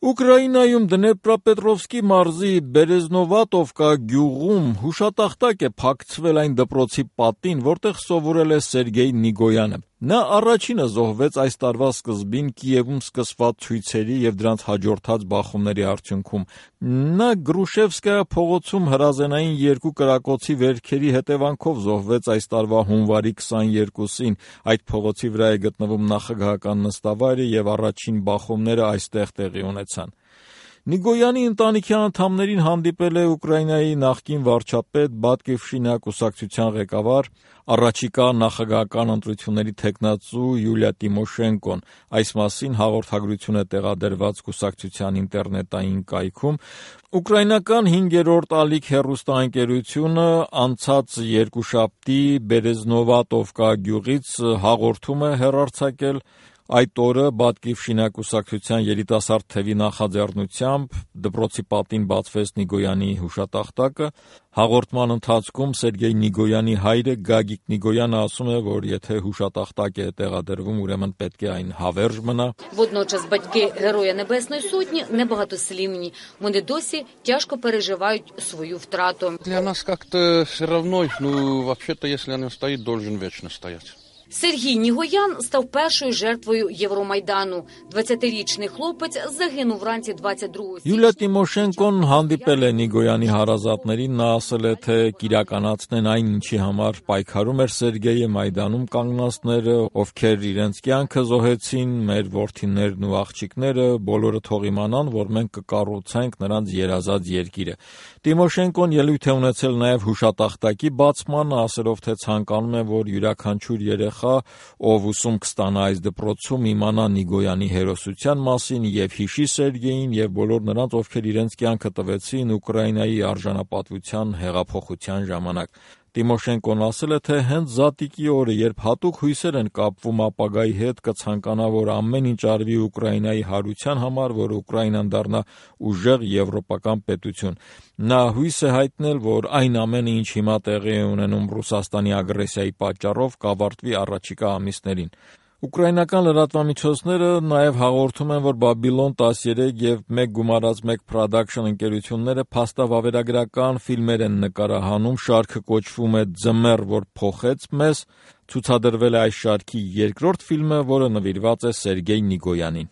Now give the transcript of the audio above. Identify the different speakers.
Speaker 1: Ուկրաինայում Դնեպրապետրովսկի մարզի Բերեզնովատովկա գյուղում հուշատախտակ է փակցվել այն դպրոցի պատին, որտեղ սովորել է Սերգեյ Նիգոյանը։ Նա առաջինը զոհվեց այս տարվա սկզբին Կիևում սկսված ցույցերի եւ դրանց հաջորդած բախումների արդյունքում։ Նա Գրուշևսկայա փողոցում հրազենային երկու կրակոցի վերքերի հետևանքով զոհվեց այս տարվա հունվարի 22-ին։ Այդ փողոցի վրա է գտնվում նախագահական նստավայրը եւ առաջին բախումները այստեղ տեղի ունեցան։ Նիգոյանի ընտանիքի անդամներին հանդիպել է Ուկրաինայի նախկին վարչապետ Բատկիվշինա կուսակցության ղեկավար, առաջիկա նախագահական ընտրությունների թեկնածու Յուլիա Տիմոշենկոն։ Այս մասին հաղորդագրություն է տեղադրված կուսակցության ինտերնետային կայքում։ Ուկրաինական 5-րդ ալիք հեռուստաընկերությունը անցած երկուշաբթի Բերեզնովատովկա գյուղից հաղորդում է հեռարձակել։ Այդ օրը Բատկիվշինա կուսակցության երիտասարդ թևի նախաձեռնությամբ դպրոցի պատին բացվեց Նիգոյանի հուշատախտակը։ Հաղորդման ընթացքում Սերգեյ Նիգոյանի հայրը Գագիկ Նիգոյանը ասում է, որ եթե հուշատախտակ է տեղադրվում, ուրեմն պետք է այն հավերժ мна.
Speaker 2: Водночас батьки Героя Небесної Сотні небагатослівні. Вони досі тяжко переживають свою втрату.
Speaker 3: Для нас как-то все равно, вообще-то, если он стоит, должен вечно стоять.
Speaker 2: Сергій Нігоян став першою жертвою Євромайдану. 20-річний хлопець загинув вранці 22 січня.
Speaker 1: Յուլիա Տիմոշենկոն հանդիպել է Նիգոյանի հարազատներին, նա ասել է, թե կիրականացնեն այն, ինչի համար պայքարում էր Սերգեյը, Մայդանում կանգնածները, ովքեր իրենց կյանքը զոհեցին, մեր որդիներն ու աղջիկները, բոլորը թող իմանան, որ մենք կկառուցենք նրանց երազած երկիրը։ Տիմոշենկոն ելույթ է ունեցել նաև հուշատախտակի բացմանը, ասելով, թե ցանկանում է, որ յուրաքանչյուր երեխա, ով ուսում կստանա այս դպրոցում, իմանա Նիգոյանի հերոսության մասին եւ հիշի Սերգեյին եւ բոլոր նրանց, ովքեր իրենց կյանքը տվեցին Ուկրաինայի արժանապատվության հեղափոխության ժամանակ։ Տիմոշենկոն ասել է, թե հենց զատիկի օրը, երբ հատուկ հույսեր են կապվում ապագայի հետ, կցանկանա, որ ամեն ինչ արվի Ուկրաինայի հարության համար, որ Ուկրաինան դառնա ուժեղ եվրոպական պետություն։ Նա հույս է հայտնել, որ այն ամենը, ինչ հիմա տեղի է ունենում Ռուսաստանի ագրեսիայի պատճառով, կավարտվի առաջիկա ամիսներին։ Ուկրաինական լրատվամիջոցները նաև հաղորդում են, որ Բաբիլոն 13 եւ 1+1 Production ընկերությունները փաստավավերագրական ֆիլմեր են նկարահանում, շարքը կոչվում է Ձմեռ, որ փոխեց մեզ, ցուցադրվել է այս շարքի երկրորդ ֆիլմը, որը նվիրված է Սերգեյ Նիգոյանին։